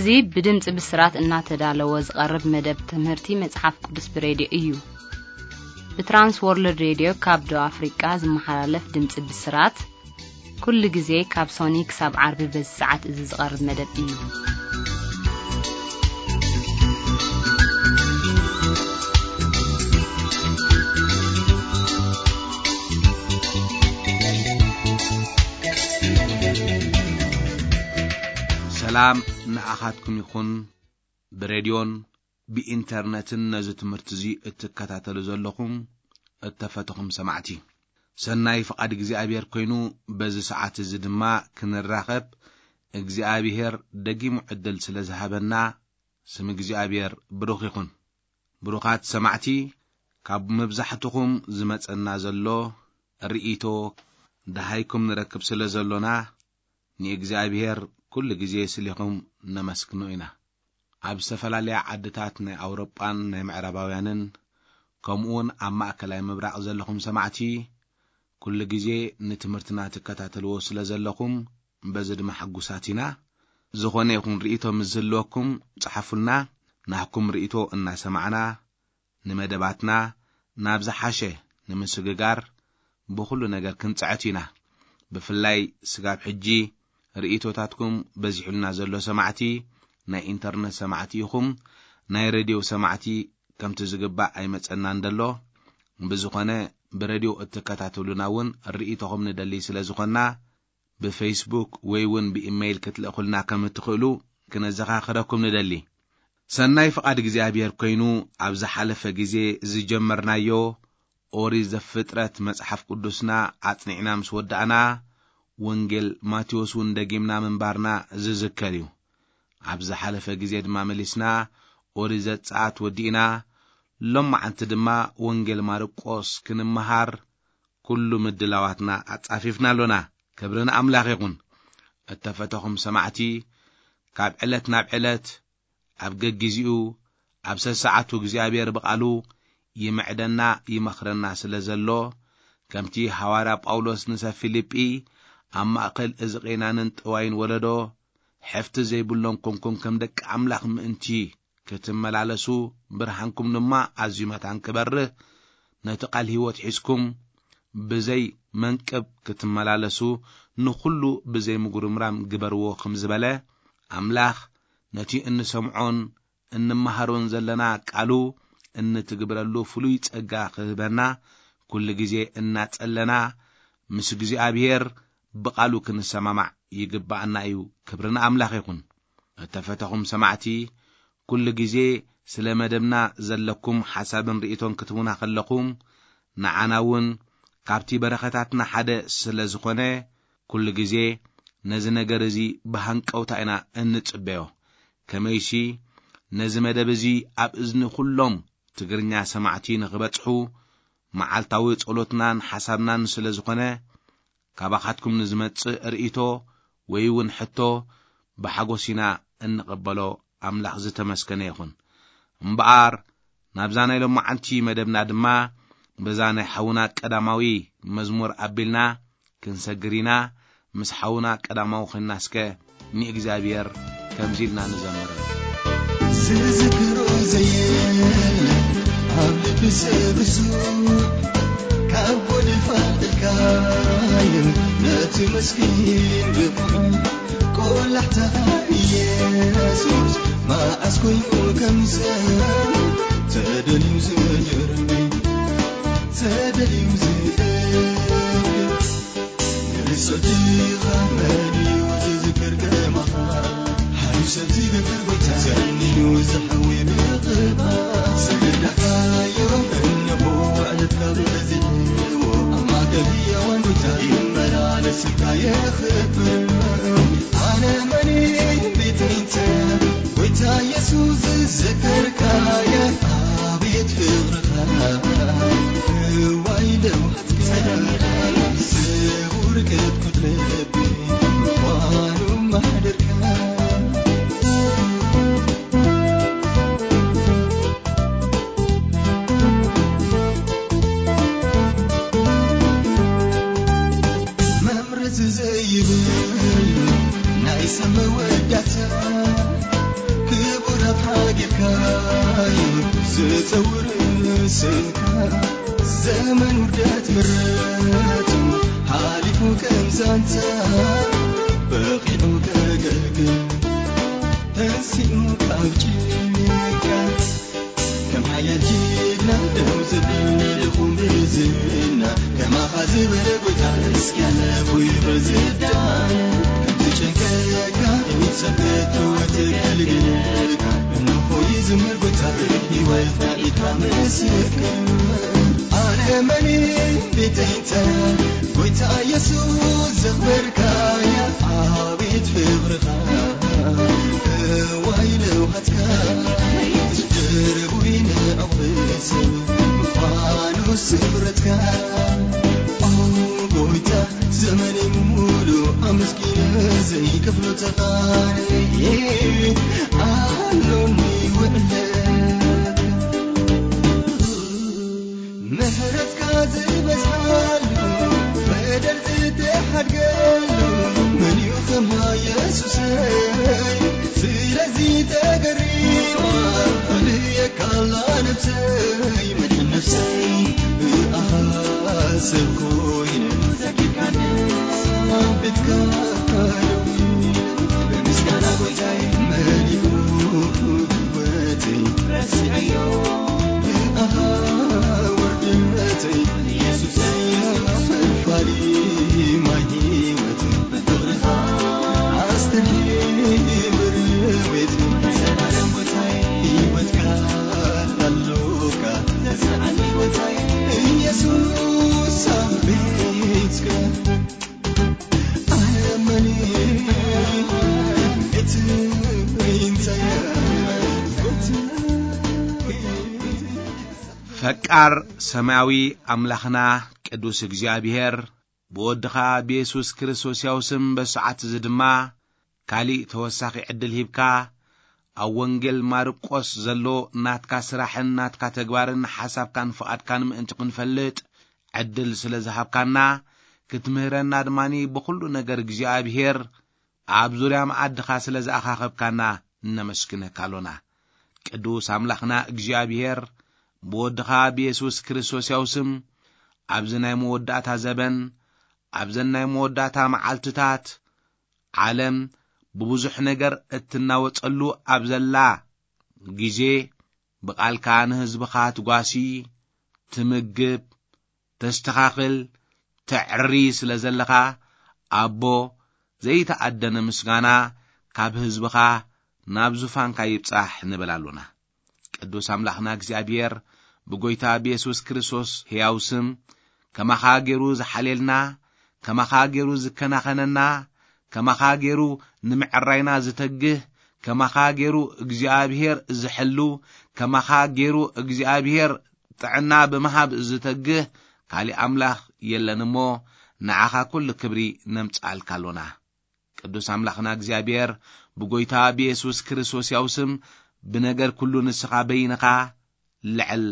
እዚ ብድምፂ ብስራት እናተዳለወ ዝቐርብ መደብ ትምህርቲ መጽሓፍ ቅዱስ ብሬድዮ እዩ። ብትራንስ ወርልድ ሬድዮ ካብ ደቡብ ኣፍሪቃ ዝመሓላለፍ ድምፂ ብስራት፣ ኩሉ ግዜ ካብ ሶኒ ክሳብ ዓርቢ በዚ ሰዓት እዚ ዝቐርብ መደብ እዩ። ሰላም ንዓኻትኩም ይኹን። ብሬድዮን ብኢንተርነትን ነዚ ትምህርቲ እዚ እትከታተሉ ዘለኹም እተፈተኹም ሰማዕቲ፣ ሰናይ ፍቓድ እግዚኣብሔር ኮይኑ፣ በዚ ሰዓት እዚ ድማ ክንራኸብ እግዚኣብሔር ደጊሙ ዕድል ስለ ዝሃበና፣ ስም እግዚኣብሔር ብሩኽ ይኹን። ብሩኻት ሰማዕቲ፣ ካብ መብዛሕትኹም ዝመጸና ዘሎ ርእይቶ ደሃይኩም ንረክብ ስለ ዘሎና፣ ንእግዚኣብሔር ኩሉ ግዜ ስሊኹም ነመስግኖ ኢና። ኣብ ዝተፈላለያ ዓድታት ናይ ኣውሮጳን ናይ ምዕራባውያንን፣ ከምኡውን ኣብ ማእከላይ ምብራቕ ዘለኹም ሰማዕቲ፣ ኩሉ ግዜ ንትምህርትና ትከታተልዎ ስለ ዘለኹም፣ በዚ ድማ ሕጉሳት ኢና። ዝኾነ ይኹን ርእይቶ ምስ ዝህልወኩም፣ ጽሓፉልና። ናህኩም ርእይቶ እናሰማዕና፣ ንመደባትና ናብ ዝሓሸ ንምስግጋር ብኹሉ ነገር ክንጽዕት ኢና። ብፍላይ ስጋብ ሕጂ ርእይቶታትኩም በዚሑልና ዘሎ ሰማዕቲ፣ ናይ ኢንተርነት ሰማዕቲ ኢኹም፣ ናይ ሬድዮ ሰማዕቲ ከምቲ ዝግባእ ኣይመጸናን ደሎ። ብዝኾነ፣ ብሬድዮ እትከታተሉና እውን ርእይቶኹም ንደሊ ስለ ዝኾንና፣ ብፌስቡክ ወይ እውን ብኢመይል ክትልእኹልና ከም እትኽእሉ ክነዘኻኽረኩም ንደሊ። ሰናይ ፍቓድ እግዚኣብሔር ኮይኑ፣ ኣብ ዝሓለፈ ግዜ ዝጀመርናዮ ኦሪት ዘፍጥረት መጽሓፍ ቅዱስና ኣጽኒዕና ምስ ወዳእና፣ ወንጌል ማቴዎስ እውን ደጊምና ምንባርና ዝዝከር እዩ። ኣብ ዝሓለፈ ግዜ ድማ መሊስና ኦሪት ዘጸኣት ወዲእና፣ ሎማዓንቲ ድማ ወንጌል ማርቆስ ክንመሃር ኩሉ ምድላዋትና ኣጻፊፍና ኣሎና። ክብሪ ንኣምላኽ ይኹን። እተፈተኹም ሰማዕቲ፣ ካብ ዕለት ናብ ዕለት፣ ኣብ ገጊዚኡ፣ ኣብ ሰሰዓቱ እግዚኣብሔር ብቓሉ ይምዕደና፣ ይመኽረና ስለ ዘሎ፣ ከምቲ ሃዋርያ ጳውሎስ ንሰብ ፊልጲ፣ ኣብ ማእከል እዚ ቄናንን ጠዋይን ወለዶ፣ ሕፍቲ ዘይብሎም ኮንኩም ከም ደቂ ኣምላኽ ምእንቲ ክትመላለሱ፣ ብርሃንኩም ድማ ኣዝዩ መታን ክበርህ፣ ነቲ ቃል ህይወት ሒዝኩም ብዘይ መንቅብ ክትመላለሱ፣ ንኹሉ ብዘይ ምጉርምራም ግበርዎ ከም ዝበለ፣ ኣምላኽ ነቲ እንሰምዖን እንመሃሮን ዘለና ቃሉ እንትግብረሉ ፍሉይ ጸጋ ክህበና፣ ኩሉ ግዜ እናጸለና ምስ እግዚኣብሔር ብቓሉ ክንሰማማዕ ይግባኣና እዩ። ክብሪ ንኣምላኽ ይኹን። እተፈተኹም ሰማዕቲ፣ ኩሉ ግዜ ስለ መደብና ዘለኩም ሓሳብን ርእይቶን ክትቡና ከለኹም፣ ንዓና እውን ካብቲ በረኸታትና ሓደ ስለ ዝኾነ፣ ኩሉ ግዜ ነዚ ነገር እዚ ብሃንቀውታ ኢና እንጽበዮ። ከመይሲ፣ ነዚ መደብ እዚ ኣብ እዝኒ ኩሎም ትግርኛ ሰማዕቲ ንኽበጽሑ፣ መዓልታዊ ጸሎትናን ሓሳብናን ስለ ዝኾነ፣ ካባኻትኩም ንዝመጽእ ርእይቶ ወይ እውን ሕቶ ብሓጎስ ኢና እንቕበሎ። ኣምላኽ ዝተመስገነ ይኹን። እምበኣር፣ ናብዛ ናይ ሎማዓንቲ መደብና ድማ፣ በዛ ናይ ሓውና ቀዳማዊ መዝሙር ኣቢልና ክንሰግር ኢና። ምስ ሓውና ቀዳማዊ ኾንና እስከ ንእግዚኣብሔር ከምዚ ኢልና ንዘምር። ዝዝክሮ ዘየለ ኣብ ልቢ ሰብ ብዙ፣ ካብ ጎድፍ ኣልዕልካዮ ነቲ መስኪን ብቑዕ። ቆላሕታ ኢየሱስ መዓስ ኮይኑ ከም ሰብ ተደልዩ ዝድርቢ፣ ተደልዩ ዝእክብ። ንርእሶትኻ መን እዩ ዝዝክር ከማኻ? ሓሪፍ ሰብ ዝገብር ጎይታ፣ ዘንዩ ዝሓዊ ብቕባእ። ዝግዳእካዮ እንሆ ዕለትካ በዚሕዎ፣ ኣብ ማእከል ህያዋን ጎይታ ይመላለስካ የኽብር። ኣነ መን እየ ቤት ሚተ ጎይታ ኢየሱስ ዝዘከርካየ፣ ኣቤት ፍቕርኻ እዋይ ደው መምረዚ ዘይብል ናይ ሰብ መወዳእታ ጸውር ስንካ ዘመን ውርደት ምረቱ ሓሊፉ ከም ዛንታ በቂዑ ከገልግል ተንሲኡ ካብ ጭንቀት ከም ሓያል ጅግና ደው ዘብል ድኹም ብዝና ከማኻ ዝበለ ጎይታ እስኪ ኣለፉ ይበል ዝዳን ከም ዝጨንቀካ ይሰብከቶ ተገልግልካ እንሆ ይዝምር ጎይታ ህይወትና ኢካ ምስክር ኣነ መን ቤተይተ ጎይታ ኢየሱስ ዘኽበርካያ ኣቤት ፍቕርኻ እዋይ ለውሃትካ ድርቡይ ንዕቕብስ ምዃኑ ስምረትካ ኦ ጎይታ ዘመነይ ሙሉ ኣመስጊነ ዘይከፍሎ ተቓንየ ኣሎኒ ውዕለት ምሕረትካ ዝበዝሓሉ በደል ዝተሓድገሉ መን እዩ ከማ የሱሰይ ስለዚ ተገሪማ ኣልየካላ ነብሰይ መድሕን ነብሰይ ብኣኻ ሰብ ኮይነ ዘኪርካኒ ቤትካ ደዊለ ብምስጋና ጎይታይ መሊኡ ህይወተይ ረሲዐዮ ብኣኻ ውርደተይ ኢየሱሰይ ፈልፋሊ ማይ ህይወት ብፍቕርኻ ኣስተንሂ ብርዌት ዘላለም ጎይታይ ህይወትካ ኣሎካ ተስርዓኒ ጎይታይ ኢየሱስ ኣብ ቤትካ ኣመኒ እቲ እንታይ ፈቃር ሰማያዊ ኣምላኽና ቅዱስ እግዚኣብሔር ብወድኻ ብየሱስ ክርስቶስ ያው ስም በሰዓት እዚ ድማ ካሊእ ተወሳኺ ዕድል ሂብካ ኣብ ወንጌል ማርቆስ ዘሎ ናትካ ስራሕን ናትካ ተግባርን ሓሳብካን ፍቓድካን ምእንቲ ክንፈልጥ ዕድል ስለ ዝሃብካና ክትምህረና ድማኒ ብኹሉ ነገር እግዚኣብሔር ኣብ ዙርያ መኣድኻ ስለ ዝኣኻኸብካና እነመስግነካ ኣሎና። ቅዱስ ኣምላኽና እግዚኣብሔር ብወድኻ ብየሱስ ክርስቶስ ያው ስም ኣብዚ ናይ መወዳእታ ዘበን ኣብዘን ናይ መወዳእታ መዓልትታት ዓለም ብብዙሕ ነገር እትናወጸሉ ኣብ ዘላ ግዜ ብቓልካ ንህዝብኻ ትጓሲ፣ ትምግብ፣ ተስተኻኽል፣ ተዕሪ ስለ ዘለኻ ኣቦ ዘይተኣደነ ምስጋና ካብ ህዝብኻ ናብ ዙፋንካ ይብጻሕ ንብል ኣሎና። ቅዱስ ኣምላኽና እግዚኣብሔር ብጎይታ ብየሱስ ክርስቶስ ሕያው ስም ከማኻ ገይሩ ዝሓልየልና፣ ከማኻ ገይሩ ዝከናኸነና፣ ከማኻ ገይሩ ንምዕራይና ዝተግህ፣ ከማኻ ገይሩ እግዚኣብሔር ዝሕሉ፣ ከማኻ ገይሩ እግዚኣብሔር ጥዕና ብምሃብ ዝተግህ ካሊእ ኣምላኽ የለን እሞ ንዓኻ ኩሉ ክብሪ ነምጽኣልካ ኣሎና። ቅዱስ ኣምላኽና እግዚኣብሔር ብጎይታ ብየሱስ ክርስቶስ ያው ስም ብነገር ኩሉ ንስኻ በይንኻ ልዕል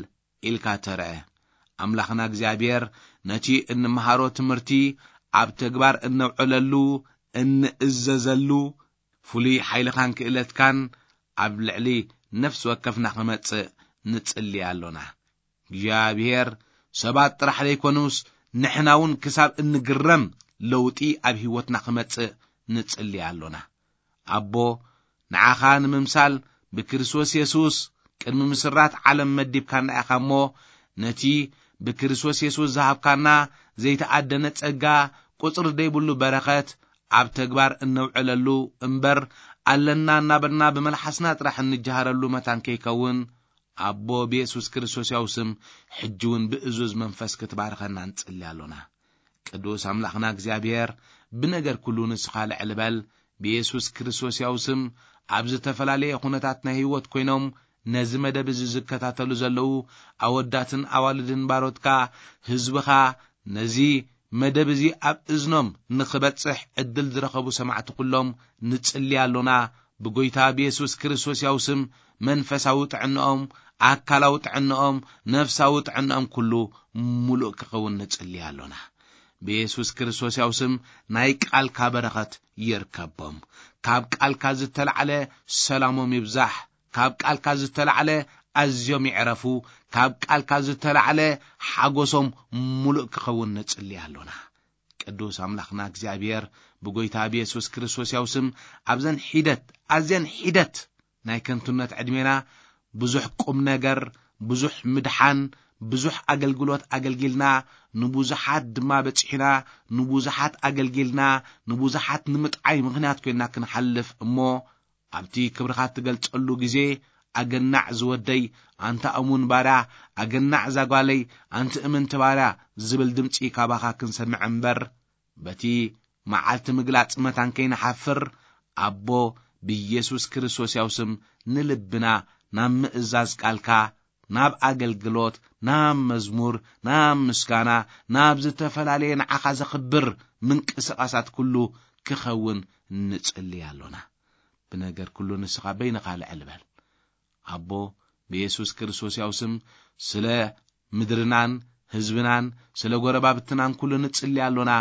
ኢልካ ተርአ። ኣምላኽና እግዚኣብሔር ነቲ እንመሃሮ ትምህርቲ ኣብ ተግባር እነውዕለሉ እንእዘዘሉ ፍሉይ ሓይልኻን ክእለትካን ኣብ ልዕሊ ነፍሲ ወከፍና ክመጽእ ንጽሊ ኣሎና። እግዚኣብሔር ሰባት ጥራሕ ዘይኮኑስ ንሕና እውን ክሳብ እንግረም ለውጢ ኣብ ህይወትና ክመጽእ ንጽሊ ኣሎና። ኣቦ ንዓኻ ንምምሳል ብክርስቶስ የሱስ ቅድሚ ምስራት ዓለም መዲብካና ኢኻ እሞ ነቲ ብክርስቶስ የሱስ ዝሃብካና ዘይተኣደነ ጸጋ ቁጽሪ ዘይብሉ በረኸት ኣብ ተግባር እነውዕለሉ እምበር ኣለና እናበልና ብመልሓስና ጥራሕ እንጀሃረሉ መታን ከይከውን ኣቦ ብየሱስ ክርስቶስ ያው ስም ሕጂ እውን ብእዙዝ መንፈስ ክትባርኸና ንጽሊ ኣሎና። ቅዱስ ኣምላኽና እግዚኣብሔር ብነገር ኩሉ ንስኻ ልዕል በል። ብየሱስ ክርስቶስ ያው ስም ኣብ ዝተፈላለየ ኩነታት ናይ ህይወት ኮይኖም ነዚ መደብ እዚ ዝከታተሉ ዘለዉ ኣወዳትን ኣዋልድን ባሮትካ ህዝብኻ ነዚ መደብ እዚ ኣብ እዝኖም ንኽበጽሕ ዕድል ዝረኸቡ ሰማዕቲ ኩሎም ንጽሊ ኣሎና። ብጎይታ ብየሱስ ክርስቶስ ያው ስም መንፈሳዊ ጥዕንኦም፣ ኣካላዊ ጥዕንኦም፣ ነፍሳዊ ጥዕንኦም ኩሉ ሙሉእ ክኸውን ንጽሊ ኣሎና። ብየሱስ ክርስቶስ ያው ስም ናይ ቃልካ በረኸት ይርከቦም። ካብ ቃልካ ዝተላዕለ ሰላሞም ይብዛሕ። ካብ ቃልካ ዝተላዕለ ኣዝዮም ይዕረፉ፣ ካብ ቃልካ ዝተላዕለ ሓጎሶም ሙሉእ ክኸውን ንጽሊ ኣሎና። ቅዱስ ኣምላኽና እግዚኣብሔር፣ ብጎይታ ብየሱስ ክርስቶስ ያው ስም ኣብዘን ሒደት፣ ኣዝየን ሒደት ናይ ከንቱነት ዕድሜና ብዙሕ ቁም ነገር፣ ብዙሕ ምድሓን፣ ብዙሕ ኣገልግሎት ኣገልጊልና፣ ንብዙሓት ድማ በጺሕና፣ ንብዙሓት ኣገልጊልና፣ ንብዙሓት ንምጥዓይ ምኽንያት ኮይንና ክንሓልፍ እሞ፣ ኣብቲ ክብርኻ እትገልጸሉ ግዜ፣ "ኣገናዕ ዝወደይ፣ ኣንታ እሙን ባርያ፣ ኣገናዕ እዛ ጓለይ፣ ኣንቲ እምንቲ ባርያ" ዝብል ድምጺ ካባኻ ክንሰምዕ እምበር፣ በቲ መዓልቲ ምግላጽ መታን ከይንሓፍር፣ ኣቦ፣ ብኢየሱስ ክርስቶስ ያው ስም ንልብና ናብ ምእዛዝ ቃልካ፣ ናብ ኣገልግሎት፣ ናብ መዝሙር፣ ናብ ምስጋና፣ ናብ ዝተፈላለየ ንዓኻ ዘኽብር ምንቅስቓሳት ኩሉ ክኸውን ንጽሊ ኣሎና። ብነገር ኩሉ ንስኻ በይንኻ ልዕል በል። ኣቦ፣ ብየሱስ ክርስቶስ ያው ስም ስለ ምድርናን ህዝብናን ስለ ጎረባብትናን ኩሉ ንጽሊ ኣሎና።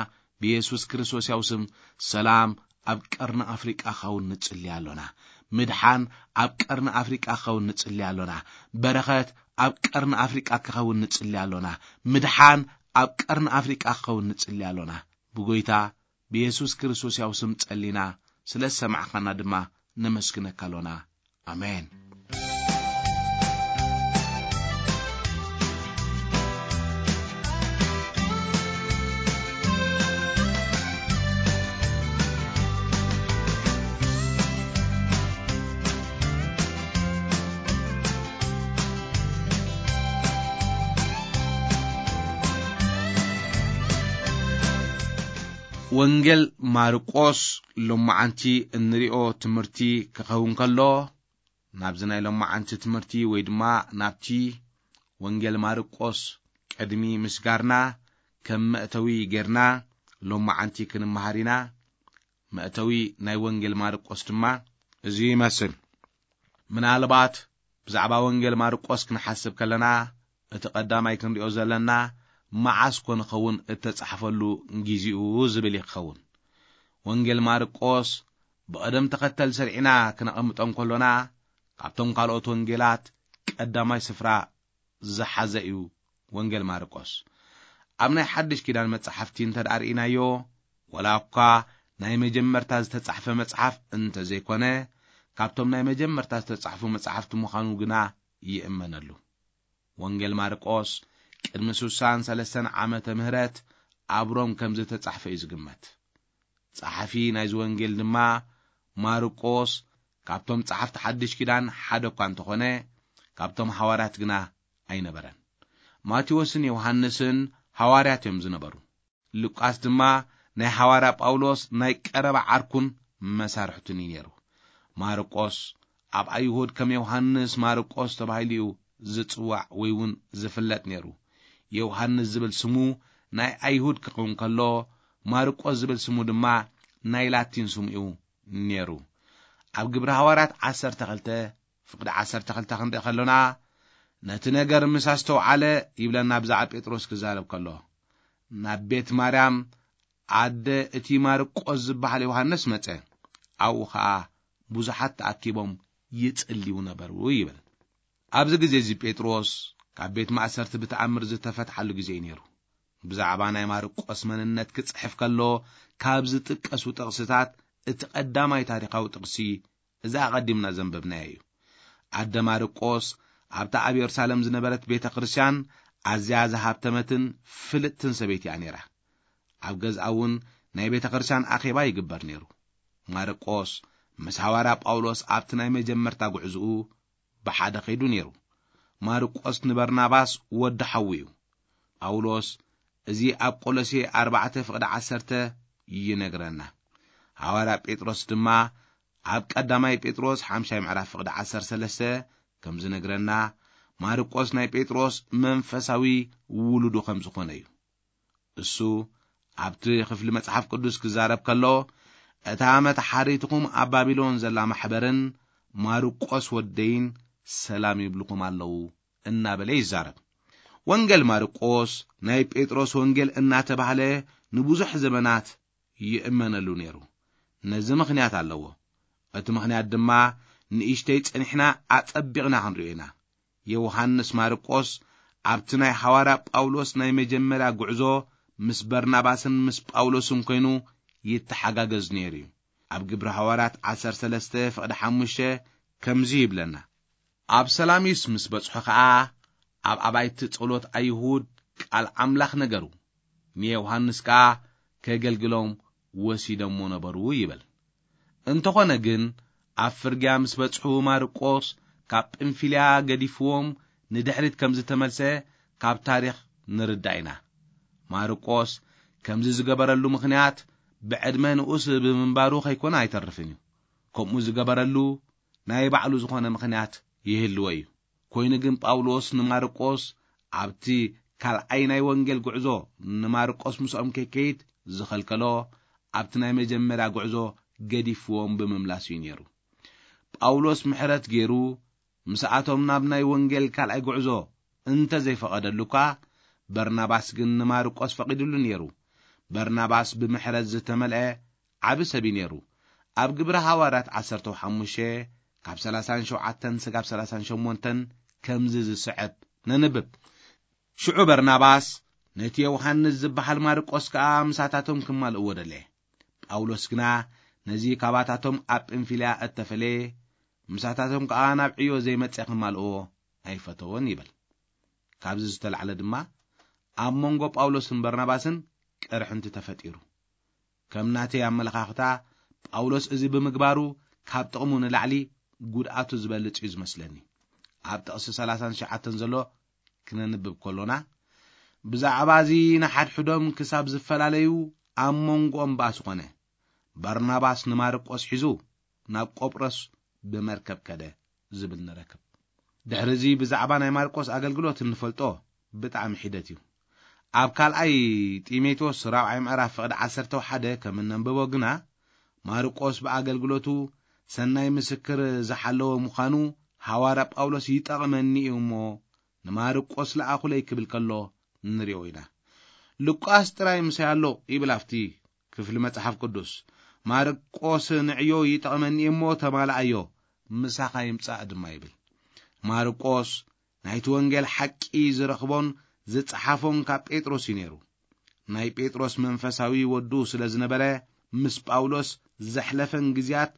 ብየሱስ ክርስቶስ ያው ስም ሰላም ኣብ ቀርኒ ኣፍሪቃ ክኸውን ንጽሊ ኣሎና። ምድሓን ኣብ ቀርኒ ኣፍሪቃ ክኸውን ንጽሊ ኣሎና። በረኸት ኣብ ቀርኒ ኣፍሪቃ ክኸውን ንጽሊ ኣሎና። ምድሓን ኣብ ቀርኒ ኣፍሪቃ ክኸውን ንጽሊ ኣሎና። ብጎይታ ብየሱስ ክርስቶስ ያው ስም ጸሊና፣ ስለ ዝሰማዕካና ድማ ነመስግነካ ኣሎና። ኣሜን። ወንጌል ማርቆስ ሎማዓንቲ እንሪኦ ትምህርቲ ክኸውን ከሎ፣ ናብዚ ናይ ሎማዓንቲ ትምህርቲ ወይ ድማ ናብቲ ወንጌል ማርቆስ ቅድሚ ምስጋርና፣ ከም መእተዊ ጌርና ሎማዓንቲ ክንመሃር ኢና። መእተዊ ናይ ወንጌል ማርቆስ ድማ እዚ ይመስል። ምናልባት ብዛዕባ ወንጌል ማርቆስ ክንሓስብ ከለና፣ እቲ ቀዳማይ ክንሪኦ ዘለና፣ "መዓስ ኮን ኸውን እተጻሕፈሉ ግዜኡ?" ዝብል እዩ ክኸውን። ወንጌል ማርቆስ ብቐደም ተኸተል ሰሪዕና ክነቐምጦ እንከሎና፣ ካብቶም ካልኦት ወንጌላት ቀዳማይ ስፍራ ዝሓዘ እዩ ወንጌል ማርቆስ። ኣብ ናይ ሓድሽ ኪዳን መጻሕፍቲ እንተ ደኣ ርኢናዮ፣ ወላ እኳ ናይ መጀመርታ ዝተጻሕፈ መጽሓፍ እንተ ዘይኮነ፣ ካብቶም ናይ መጀመርታ ዝተጻሕፉ መጻሕፍቲ ምዃኑ ግና ይእመነሉ። ወንጌል ማርቆስ ቅድሚ ሱሳን ሰለስተን ዓመተ ምህረት ኣብ ሮም ከም ዝተጻሕፈ እዩ ዝግመት። ጸሓፊ ናይዚ ወንጌል ድማ ማርቆስ ካብቶም ጸሓፍቲ ሓድሽ ኪዳን ሓደ እኳ እንተኾነ፣ ካብቶም ሃዋርያት ግና ኣይነበረን። ማቴዎስን ዮሃንስን ሃዋርያት እዮም ዝነበሩ። ሉቃስ ድማ ናይ ሃዋርያ ጳውሎስ ናይ ቀረባ ዓርኩን መሳርሕቱን እዩ ነይሩ። ማርቆስ ኣብ ኣይሁድ ከም ዮሃንስ ማርቆስ ተባሂሉ እዩ ዝጽዋዕ ወይ እውን ዝፍለጥ ነይሩ። ዮሃንስ ዝብል ስሙ ናይ ኣይሁድ ክኸውን ከሎ፣ ማርቆስ ዝብል ስሙ ድማ ናይ ላቲን ስሙ እዩ ነይሩ። ኣብ ግብሪ ሃዋርያት ዓሰርተ ክልተ ፍቕዲ ዓሰርተ ክልተ ክንርኢ ከሎና፣ ነቲ ነገር ምስ ኣስተውዓለ ይብለና ብዛዕባ ጴጥሮስ ክዛረብ ከሎ፣ ናብ ቤት ማርያም ኣደ እቲ ማርቆስ ዝበሃል ዮሃንስ መጸ። ኣብኡ ኸኣ ብዙሓት ተኣኪቦም ይጽልዩ ነበሩ ይብል። ኣብዚ ግዜ እዚ ጴጥሮስ ካብ ቤት ማእሰርቲ ብተኣምር ዝተፈትሓሉ ግዜ እዩ ነይሩ። ብዛዕባ ናይ ማርቆስ መንነት ክጽሕፍ ከሎ ካብ ዝጥቀሱ ጥቕስታት እቲ ቀዳማይ ታሪኻዊ ጥቕሲ እዚ ኣቐዲምና ዘንበብናዮ እዩ። ኣደ ማርቆስ ኣብታ ኣብ የሩሳሌም ዝነበረት ቤተ ክርስቲያን ኣዝያ ዝሃብተመትን ፍልጥትን ሰበይቲ እያ ነይራ። ኣብ ገዝኣ እውን ናይ ቤተ ክርስቲያን ኣኼባ ይግበር ነይሩ። ማርቆስ ምስ ሃዋርያ ጳውሎስ ኣብቲ ናይ መጀመርታ ጉዕዝኡ ብሓደ ኸይዱ ነይሩ። ማርቆስ ንበርናባስ ወዲ ሓዉ እዩ። ጳውሎስ እዚ ኣብ ቆሎሴ ኣርባዕተ ፍቕዲ ዓሰርተ ይነግረና። ሃዋርያ ጴጥሮስ ድማ ኣብ ቀዳማይ ጴጥሮስ ሓምሻይ ምዕራፍ ፍቕዲ ዓሰርተ ሰለስተ ከም ዝነግረና፣ ማርቆስ ናይ ጴጥሮስ መንፈሳዊ ውሉዱ ከም ዝኾነ እዩ። እሱ ኣብቲ ክፍሊ መጽሓፍ ቅዱስ ክዛረብ ከሎ፣ "እታ መተሓሪትኹም ኣብ ባቢሎን ዘላ ማሕበርን ማርቆስ ወደይን ሰላም ይብልኹም ኣለዉ" እናበለ ይዛረብ። ወንጌል ማርቆስ ናይ ጴጥሮስ ወንጌል እናተባህለ ንብዙሕ ዘመናት ይእመነሉ ነይሩ። ነዚ ምኽንያት ኣለዎ። እቲ ምኽንያት ድማ ንእሽተይ ጸኒሕና ኣጸቢቕና ክንሪኦ ኢና። ዮሃንስ ማርቆስ ኣብቲ ናይ ሓዋርያ ጳውሎስ ናይ መጀመርያ ጉዕዞ ምስ በርናባስን ምስ ጳውሎስን ኮይኑ ይተሓጋገዝ ነይሩ እዩ። ኣብ ግብሪ ሃዋርያት ዓሰርተ ሰለስተ ፍቕዲ ሓሙሽተ ከምዚ ይብለና፣ ኣብ ሰላሚስ ምስ በጽሑ ኸኣ ኣብ ኣባይቲ ጸሎት ኣይሁድ ቃል ኣምላኽ ነገሩ፣ ንዮሃንስ ከኣ ከገልግሎም ወሲደሞ ነበሩ ይብል። እንተኾነ ግን ኣብ ፍርግያ ምስ በጽሑ ማርቆስ ካብ ጵንፊልያ ገዲፍዎም ንድሕሪት ከም ዝተመልሰ ካብ ታሪኽ ንርዳእ ኢና። ማርቆስ ከምዚ ዝገበረሉ ምኽንያት ብዕድመ ንኡስ ብምንባሩ ከይኮነ ኣይተርፍን እዩ። ከምኡ ዝገበረሉ ናይ ባዕሉ ዝኾነ ምኽንያት ይህልዎ እዩ። ኮይኑ ግን ጳውሎስ ንማርቆስ ኣብቲ ካልኣይ ናይ ወንጌል ጉዕዞ ንማርቆስ ምስኦም ከይከይድ ዝኸልከሎ ኣብቲ ናይ መጀመርያ ጉዕዞ ገዲፍዎም ብምምላሱ እዩ ነይሩ። ጳውሎስ ምሕረት ገይሩ ምስኣቶም ናብ ናይ ወንጌል ካልኣይ ጉዕዞ እንተ ዘይፈቐደሉ እኳ፣ በርናባስ ግን ንማርቆስ ፈቒድሉ ነይሩ። በርናባስ ብምሕረት ዝተመልአ ዓቢ ሰብ እዩ ነይሩ። ኣብ ግብሪ ሃዋርያት ዓሰርተ ሓሙሽተ ካብ ሰላሳን ሸውዓተን ስጋብ ሰላሳን ሸሞንተን ከምዚ ዝስዕብ ነንብብ። ሽዑ በርናባስ ነቲ ዮሃንስ ዝበሃል ማርቆስ ከኣ ምሳታቶም ክማልእዎ ደለየ። ጳውሎስ ግና ነዚ ካባታቶም ኣብ ጵንፊልያ እተፈለየ፣ ምሳታቶም ከኣ ናብ ዕዮ ዘይመጸ ክማልእዎ ኣይፈተዎን ይብል። ካብዚ ዝተላዕለ ድማ ኣብ መንጎ ጳውሎስን በርናባስን ቅርሕንቲ ተፈጢሩ። ከም ናተይ ኣመለኻኽታ፣ ጳውሎስ እዚ ብምግባሩ ካብ ጥቕሙ ንላዕሊ ጉድኣቱ ዝበልጽ እዩ ዝመስለኒ። ኣብ ጥቕሲ ሰላሳን ትሽዓተን ዘሎ ክነንብብ ከሎና፣ ብዛዕባ እዚ ንሓድሕዶም ክሳብ ዝፈላለዩ ኣብ መንጎኦም ባእሲ ኾነ። በርናባስ ንማርቆስ ሒዙ ናብ ቆጵሮስ ብመርከብ ከደ ዝብል ንረክብ። ድሕሪ እዚ ብዛዕባ ናይ ማርቆስ ኣገልግሎት እንፈልጦ ብጣዕሚ ሒደት እዩ። ኣብ ካልኣይ ጢሞቴዎስ ራብዓይ ምዕራፍ ፍቕዲ ዓሰርተ ሓደ ከም እነንብቦ ግና፣ ማርቆስ ብኣገልግሎቱ ሰናይ ምስክር ዝሓለወ ምዃኑ ሃዋርያ ጳውሎስ ይጠቕመኒ እዩ እሞ ንማርቆስ ለኣኹለይ ክብል ከሎ ንሪኦ ኢና። ሉቃስ ጥራይ ምሳይ ኣሎ ይብል ኣብቲ ክፍሊ መጽሓፍ ቅዱስ። ማርቆስ ንዕዮ ይጠቕመኒ እሞ ተማልኣዮ፣ ምሳኻ ይምጻእ ድማ ይብል። ማርቆስ ናይቲ ወንጌል ሓቂ ዝረኽቦን ዝጸሓፎን ካብ ጴጥሮስ እዩ ነይሩ። ናይ ጴጥሮስ መንፈሳዊ ወዱ ስለ ዝነበረ፣ ምስ ጳውሎስ ዘሕለፈን ግዜያት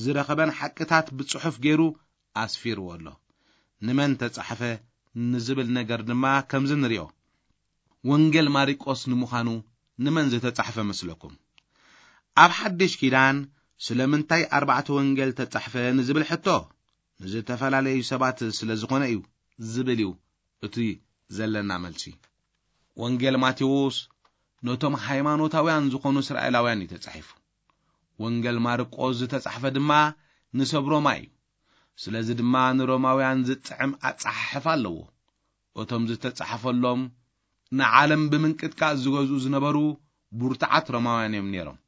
ዝረኸበን ሓቅታት ብጽሑፍ ገይሩ ኣስፊርዎ ኣሎ። ንመን ተጻሕፈ ንዝብል ነገር ድማ ከምዚ ንሪኦ። ወንጌል ማርቆስ ንምዃኑ ንመን ዝተጻሕፈ መስለኩም? ኣብ ሓድሽ ኪዳን ስለምንታይ ኣርባዕተ ወንጌል ተጻሕፈ ንዝብል ሕቶ፣ ንዝተፈላለዩ ሰባት ስለ ዝኾነ እዩ ዝብል እዩ እቲ ዘለና መልሲ። ወንጌል ማቴዎስ ነቶም ሃይማኖታውያን ዝኾኑ እስራኤላውያን እዩ ተጻሒፉ። ወንጌል ማርቆስ ዝተጻሕፈ ድማ ንሰብ ሮማ እዩ። ስለዚ ድማ ንሮማውያን ዝጥዕም ኣጻሓሕፋ ኣለዎ። እቶም ዝተጻሕፈሎም ንዓለም ብምንቅጥቃጥ ዝገዝኡ ዝነበሩ ብርቱዓት ሮማውያን እዮም ነይሮም።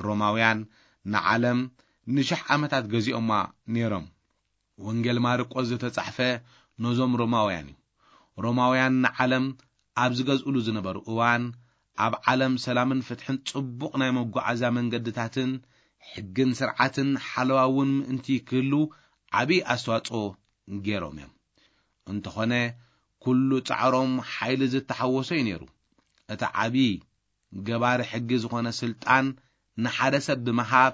ሮማውያን ንዓለም ንሽሕ ዓመታት ገዚኦማ ነይሮም። ወንጌል ማርቆስ ዝተጻሕፈ ነዞም ሮማውያን እዩ። ሮማውያን ንዓለም ኣብ ዝገዝእሉ ዝነበሩ እዋን፣ ኣብ ዓለም ሰላምን ፍትሕን ጽቡቕ ናይ መጓዓዝያ መንገድታትን ሕግን ስርዓትን ሓለዋ እውን ምእንቲ ክህሉ ዓቢ ኣስተዋጽኦ ገይሮም እዮም። እንተኾነ፣ ኩሉ ጻዕሮም ሓይሊ ዝተሓወሶ እዩ ነይሩ። እቲ ዓቢ ገባሪ ሕጊ ዝኾነ ስልጣን ንሓደ ሰብ ብምሃብ፣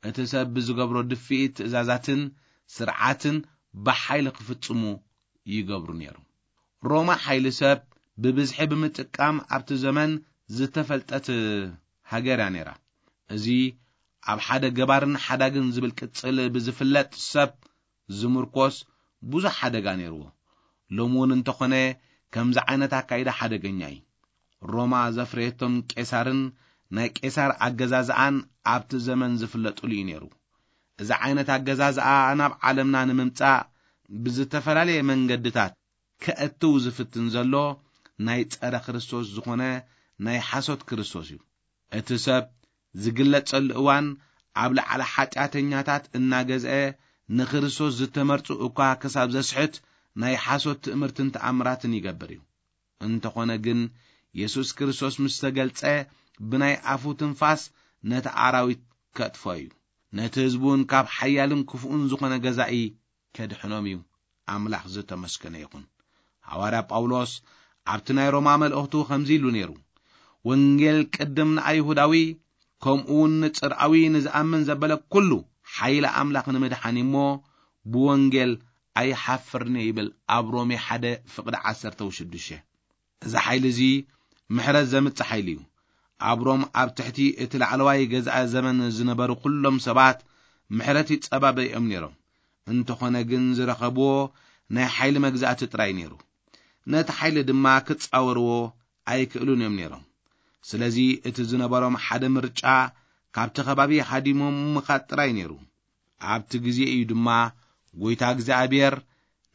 እቲ ሰብ ብዝገብሮ ድፍኢት ትእዛዛትን ስርዓትን ብሓይሊ ክፍጽሙ ይገብሩ ነይሩ። ሮማ ሓይሊ ሰብ ብብዝሒ ብምጥቃም ኣብቲ ዘመን ዝተፈልጠት ሃገር እያ ነይራ። እዚ ኣብ ሓደ ገባርን ሓዳግን ዝብል ቅጽል ብዝፍለጥ ሰብ ዝምርኮስ ብዙሕ ሓደጋ ነይርዎ። ሎሚ እውን እንተኾነ ከምዚ ዓይነት ኣካይዳ ሓደገኛ እዩ። ሮማ ዘፍረየቶም ቄሳርን ናይ ቄሳር ኣገዛዝኣን ኣብቲ ዘመን ዝፍለጡሉ እዩ ነይሩ። እዚ ዓይነት ኣገዛዝኣ ናብ ዓለምና ንምምጻእ ብዝተፈላለየ መንገድታት ከእትው ዝፍትን ዘሎ ናይ ጸረ ክርስቶስ ዝኾነ ናይ ሓሶት ክርስቶስ እዩ። እቲ ሰብ ዝግለጸሉ እዋን ኣብ ላዕሊ ሓጢኣተኛታት እናገዝአ ንክርስቶስ ዝተመርጹ እኳ ክሳብ ዘስሕት ናይ ሓሶት ትእምርትን ተኣምራትን ይገብር እዩ። እንተኾነ ግን የሱስ ክርስቶስ ምስ ተገልጸ ብናይ ኣፉ ትንፋስ ነቲ ኣራዊት ከጥፎ እዩ። ነቲ ህዝቡን ካብ ሓያልን ክፉእን ዝኾነ ገዛኢ ከድሕኖም እዩ። ኣምላኽ ዝተመስገነ ይኹን። ሃዋርያ ጳውሎስ ኣብቲ ናይ ሮማ መልእኽቱ ከምዚ ኢሉ ነይሩ፣ "ወንጌል ቅድም ንኣይሁዳዊ፣ ከምኡ እውን ንጽርኣዊ ንዝኣምን ዘበለ ኩሉ ሓይሊ ኣምላኽ ንምድሓን እዩ እሞ፣ ብወንጌል ኣይሓፍርን እየ" ይብል ኣብ ሮሜ ሓደ ፍቕዲ ዓሰርተ ሽዱሽተ። እዚ ሓይሊ እዚ ምሕረት ዘምጽእ ሓይሊ እዩ። ኣብ ሮም ኣብ ትሕቲ እቲ ላዕለዋይ ገዛኢ ዘመን ዝነበሩ ኩሎም ሰባት ምሕረት ይጸባበዮም ነይሮም። እንተኾነ ግን ዝረኸብዎ ናይ ሓይሊ መግዛእቲ ጥራይ ነይሩ። ነቲ ሓይሊ ድማ ክጻወርዎ ኣይክእሉን እዮም ነይሮም። ስለዚ እቲ ዝነበሮም ሓደ ምርጫ ካብቲ ከባቢ ሃዲሞም ምኻድ ጥራይ ነይሩ። ኣብቲ ግዜ እዩ ድማ ጎይታ እግዚኣብሔር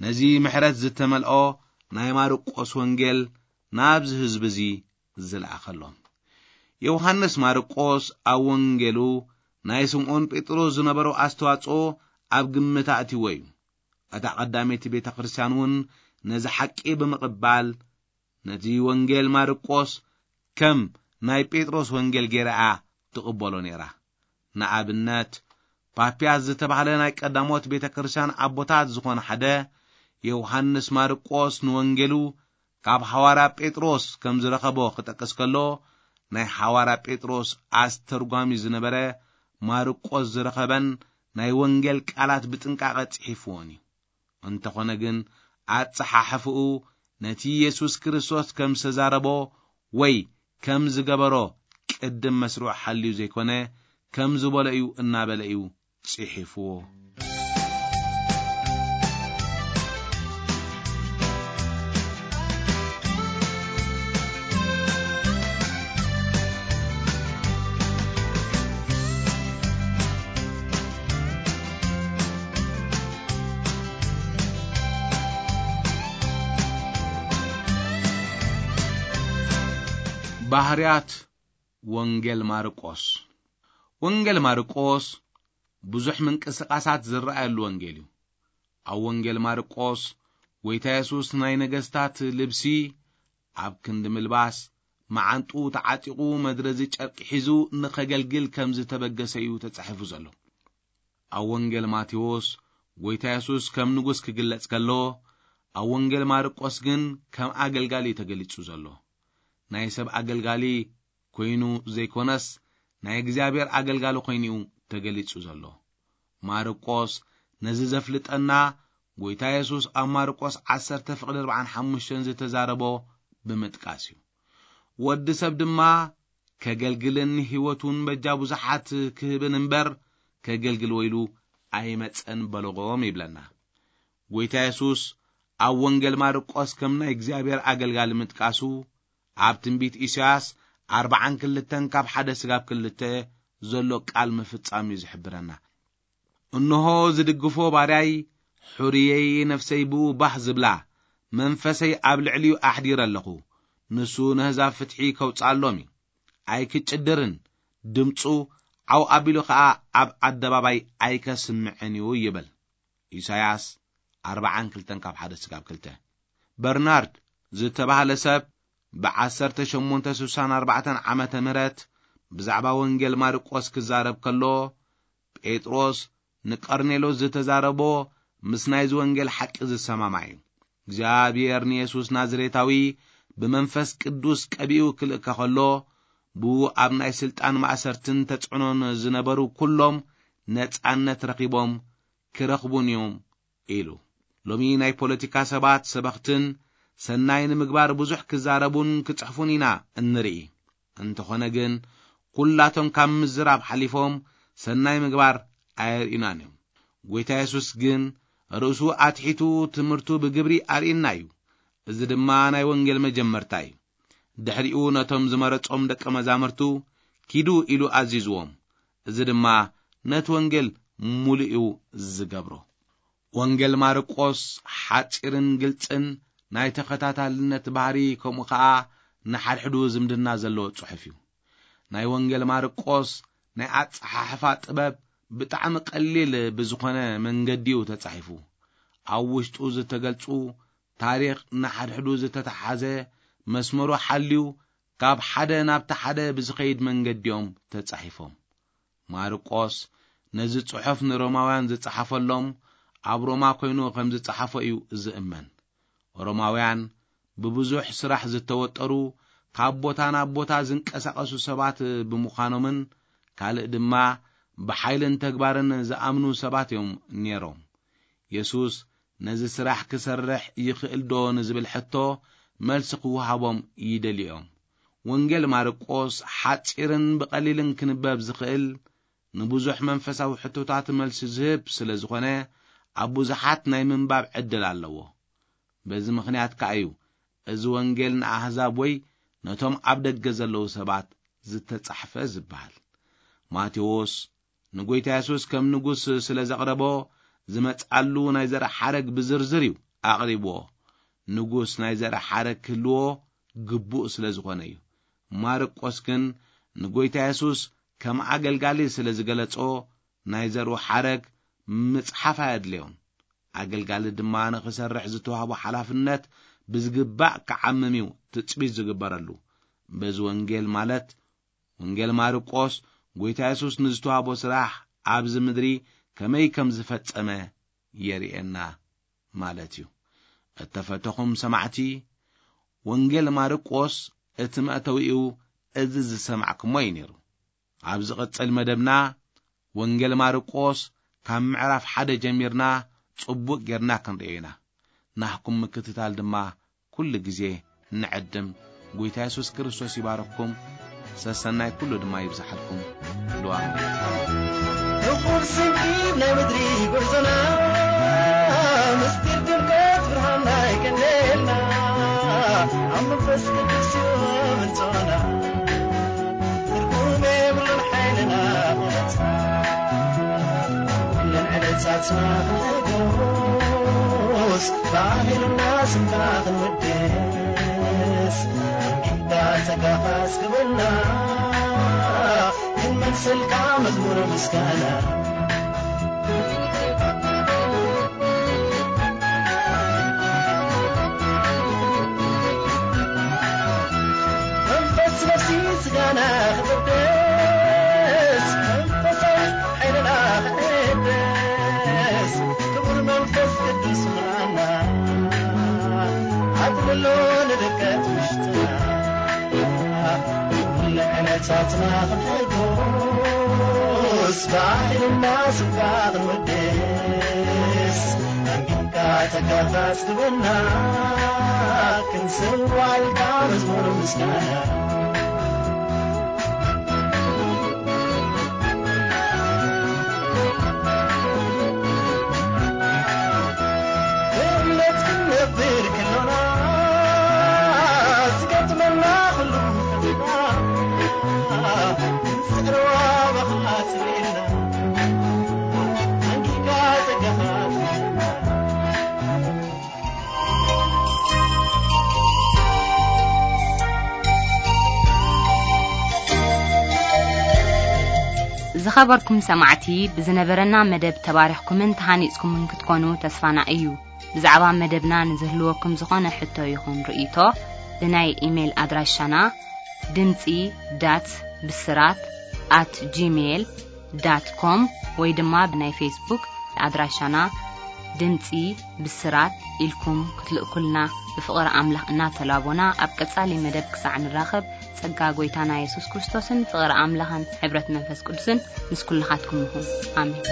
ነዚ ምሕረት ዝተመልኦ ናይ ማርቆስ ወንጌል ናብዚ ህዝቢ እዚ ዝለኣኸሎም። ዮሃንስ ማርቆስ ኣብ ወንጌሉ ናይ ስምዖን ጴጥሮስ ዝነበሮ ኣስተዋጽኦ ኣብ ግምት ኣእትይዎ እዩ። እታ ቀዳመይቲ ቤተ ክርስቲያን እውን ነዚ ሓቂ ብምቕባል ነቲ ወንጌል ማርቆስ ከም ናይ ጴጥሮስ ወንጌል ገይራ እያ ትቕበሎ ነይራ። ንኣብነት፣ ፓፒያስ ዝተባህለ ናይ ቀዳሞት ቤተ ክርስቲያን ኣቦታት ዝኾነ ሓደ ዮሃንስ ማርቆስ ንወንጌሉ ካብ ሓዋርያ ጴጥሮስ ከም ዝረኸቦ ክጠቅስ ከሎ፣ ናይ ሓዋርያ ጴጥሮስ ኣስተርጓሚ ዝነበረ ማርቆስ ዝረኸበን ናይ ወንጌል ቃላት ብጥንቃቐ ጽሒፍዎን እዩ። እንተኾነ ግን፣ ኣጸሓሕፍኡ ነቲ የሱስ ክርስቶስ ከም ዝተዛረቦ ወይ ከም ዝገበሮ ቅድም መስርዑ ሓልዩ ዘይኮነ፣ ከም ዝበሎ እዩ እናበለ እዩ ጽሒፍዎ። ባህርያት ወንጌል ማርቆስ። ወንጌል ማርቆስ ብዙሕ ምንቅስቓሳት ዝረኣየሉ ወንጌል እዩ። ኣብ ወንጌል ማርቆስ፣ ጎይታ የሱስ ናይ ነገስታት ልብሲ ኣብ ክንዲ ምልባስ፣ መዓንጡ ተዓጢቑ፣ መድረዚ ጨርቂ ሒዙ ንኸገልግል ከም ዝተበገሰ እዩ ተጻሒፉ ዘሎ። ኣብ ወንጌል ማቴዎስ፣ ጎይታ የሱስ ከም ንጉስ ክግለጽ ከሎ፣ ኣብ ወንጌል ማርቆስ ግን ከም ኣገልጋሊ እዩ ተገሊጹ ዘሎ። ናይ ሰብ ኣገልጋሊ ኮይኑ ዘይኮነስ፣ ናይ እግዚኣብሔር ኣገልጋሊ ኮይኑ እዩ ተገሊጹ ዘሎ። ማርቆስ ነዚ ዘፍልጠና፣ ጎይታ የሱስ ኣብ ማርቆስ ዓሰርተ ፍቕዲ ኣርባዓን ሓሙሽተን ዝተዛረቦ ብምጥቃስ እዩ። "ወዲ ሰብ ድማ ከገልግልን ህይወቱን በጃ ብዙሓት ክህብን እምበር፣ ከገልግል ወይሉ ኣይመጸን በልዎም" ይብለና። ጎይታ የሱስ ኣብ ወንጌል ማርቆስ ከም ናይ እግዚኣብሔር ኣገልጋሊ ምጥቃሱ፣ ኣብ ትንቢት ኢሳያስ ኣርባዓን ክልተን ካብ ሓደ ስጋብ ክልተ ዘሎ ቃል ምፍጻም እዩ ዝሕብረና። "እንሆ ዝድግፎ ባርያይ፣ ሕሩየይ፣ ነፍሰይ ብኡ ባህ ዝብላ፣ መንፈሰይ ኣብ ልዕሊኡ ኣሕዲረ ኣለኹ። ንሱ ነህዛብ ፍትሒ ከውጽኣሎም እዩ። ኣይክጭድርን፣ ድምጹ ዓው ኣቢሉ ኸኣ ኣብ ኣደባባይ ኣይከስምዕን እዩ" ይብል። ኢሳያስ ኣርባዓን ክልተን ካብ ሓደ ስጋብ ክልተ። በርናርድ ዝተባህለ ሰብ ብዓሰርተ ሸሞንተ ስሳን ኣርባዕተን ዓመተ ምህረት ብዛዕባ ወንጌል ማርቆስ ክዛረብ ከሎ፣ ጴጥሮስ ንቀርኔሎስ ዝተዛረቦ ምስ ናይዚ ወንጌል ሓቂ ዝሰማማዕ እዩ። እግዚኣብሔር ንየሱስ ናዝሬታዊ ብመንፈስ ቅዱስ ቀቢኡ ክልእከ ከሎ፣ ብኡ ኣብ ናይ ስልጣን ማእሰርትን ተጽዕኖን ዝነበሩ ኩሎም ነጻነት ረኺቦም ክረኽቡን እዮም ኢሉ። ሎሚ ናይ ፖለቲካ ሰባት፣ ሰበኽትን ሰናይ ንምግባር ብዙሕ ክዛረቡን ክጽሕፉን ኢና እንርኢ። እንተኾነ ግን፣ ኩላቶም ካብ ምዝራብ ሓሊፎም ሰናይ ምግባር ኣየርእዩናን እዮም። ጎይታ የሱስ ግን ርእሱ ኣትሒቱ ትምህርቱ ብግብሪ ኣርእየና እዩ። እዚ ድማ ናይ ወንጌል መጀመርታ እዩ። ድሕሪኡ ነቶም ዝመረጾም ደቀ መዛሙርቱ፣ "ኪዱ" ኢሉ ኣዚዝዎም። እዚ ድማ ነቲ ወንጌል ምሉእ እዩ ዝገብሮ። ወንጌል ማርቆስ ሓጺርን ግልጽን ናይ ተኸታታልነት ባህሪ፣ ከምኡ ኸኣ ንሓድሕዱ ዝምድና ዘለዎ ጽሑፍ እዩ። ናይ ወንጌል ማርቆስ ናይ ኣጸሓሕፋ ጥበብ ብጣዕሚ ቀሊል ብዝኾነ መንገዲ እዩ ተጻሒፉ። ኣብ ውሽጡ ዝተገልጹ ታሪኽ ንሓድሕዱ ዝተተሓዘ መስመሩ ሓልዩ ካብ ሓደ ናብቲ ሓደ ብዝኸይድ መንገዲ እዮም ተጻሒፎም። ማርቆስ ነዚ ጽሑፍ ንሮማውያን ዝጸሓፈሎም ኣብ ሮማ ኮይኑ ከም ዝጸሓፎ እዩ ዝእመን። ሮማውያን ብብዙሕ ስራሕ ዝተወጠሩ፣ ካብ ቦታ ናብ ቦታ ዝንቀሳቐሱ ሰባት ብምዃኖምን ካልእ ድማ ብሓይልን ተግባርን ዝኣምኑ ሰባት እዮም ነይሮም። የሱስ ነዚ ስራሕ ክሰርሕ ይኽእል ዶ ንዝብል ሕቶ መልሲ ክወሃቦም ይደልዩ እዮም። ወንጌል ማርቆስ ሓጺርን ብቐሊልን ክንበብ ዝኽእል፣ ንብዙሕ መንፈሳዊ ሕቶታት መልሲ ዝህብ ስለ ዝኾነ፣ ኣብ ብዙሓት ናይ ምንባብ ዕድል ኣለዎ። በዚ ምኽንያት ከኣ እዩ እዚ ወንጌል ንኣህዛብ ወይ ነቶም ኣብ ደገ ዘለዉ ሰባት ዝተጻሕፈ ዝበሃል። ማቴዎስ ንጎይታ የሱስ ከም ንጉስ ስለ ዘቕረቦ፣ ዝመጽኣሉ ናይ ዘርኢ ሓረግ ብዝርዝር እዩ ኣቕሪብዎ። ንጉስ ናይ ዘርኢ ሓረግ ክህልዎ ግቡእ ስለ ዝኾነ እዩ። ማርቆስ ግን ንጎይታ የሱስ ከም ኣገልጋሊ ስለ ዝገለጾ፣ ናይ ዘርኡ ሓረግ ምጽሓፍ ኣየድልዮን። ኣገልጋሊ ድማ ንኽሰርሕ ዝተዋህቦ ሓላፍነት ብዝግባእ ክዓምም እዩ ትጽቢት ዝግበረሉ። በዚ ወንጌል፣ ማለት ወንጌል ማርቆስ፣ ጎይታ የሱስ ንዝተዋህቦ ስራሕ ኣብዚ ምድሪ ከመይ ከም ዝፈጸመ የርእየና ማለት እዩ። እተፈተኹም ሰማዕቲ፣ ወንጌል ማርቆስ እቲ መእተዊኡ እዚ ዝሰማዕኩሞ እዩ ነይሩ። ኣብ ዝቕጽል መደብና፣ ወንጌል ማርቆስ ካብ ምዕራፍ ሓደ ጀሚርና ጽቡቕ ጌርና ክንርእዮ ኢና። ናህኩም ምክትታል ድማ ኩሉ ግዜ ንዕድም። ጎይታ የሱስ ክርስቶስ ይባርኽኩም። ሰሰናይ ኩሉ ድማ ይብዝሓልኩም። ሉኣም። ንኹል ስንኪብ ናይ ምድሪ ጉዕዞና፣ ምስጢር ድምቀት ብርሃን ናይ ቀንዴልና፣ ኣብ መንፈስ ቅዱስ እዩ ምንጮና። ትርጉም የብሉን ሓይልና መግለጽና፣ ኩለን ዕለታትና ክንሕጎስ፣ ባህልና ስምካ ክንወድስ፣ ኣንቢብካ ጸጋኻ ኣስግበና፣ ክንመልሰልካ መዝሙር ምስጋና። መንፈስ ነፍሲ ስጋና ክቕደስ፣ መንፈሳዊ ሓይልና ክሕደስ፣ ክቡር መንፈስ ቅዱስ ምልኣና፣ ኣጥልሎ ንድቀት ውሽጥና። ኩሉ ዕለታትና ክንሕጎስ፣ ባህልና ስምካ ክንወድስ፣ ኣንቢብካ ጸጋኻ ኣስግበና፣ ክንስዋልካ መዝሙር ምስጋና። ብእምነት ክንነብር ከሎና፣ ዝገጥመና ኩሉ ፈተና፣ ክንጽዕር ዋባኻ ትርእየና፣ ኣንጊካ ጸጋኻ ትርእየና። ዝኸበርኩም ሰማዕቲ፣ ብዝነበረና መደብ ተባሪኽኩምን ተሃኒጽኩምን ክትኮኑ ተስፋና እዩ። ብዛዕባ መደብና ንዝህልወኩም ዝኾነ ሕቶ ይኹን ርእይቶ፣ ብናይ ኢሜይል ኣድራሻና ድምጺ ዳት ብስራት ኣት ጂሜይል ዳት ኮም ወይ ድማ ብናይ ፌስቡክ ኣድራሻና ድምጺ ብስራት ኢልኩም ክትልእኩልና ብፍቕሪ ኣምላኽ እናተላቦና፣ ኣብ ቀጻሊ መደብ ክሳዕ ንራኸብ፣ ጸጋ ጐይታና የሱስ ክርስቶስን ፍቕሪ ኣምላኽን ሕብረት መንፈስ ቅዱስን ምስ ኩልኻትኩም ይኹን። ኣሜን።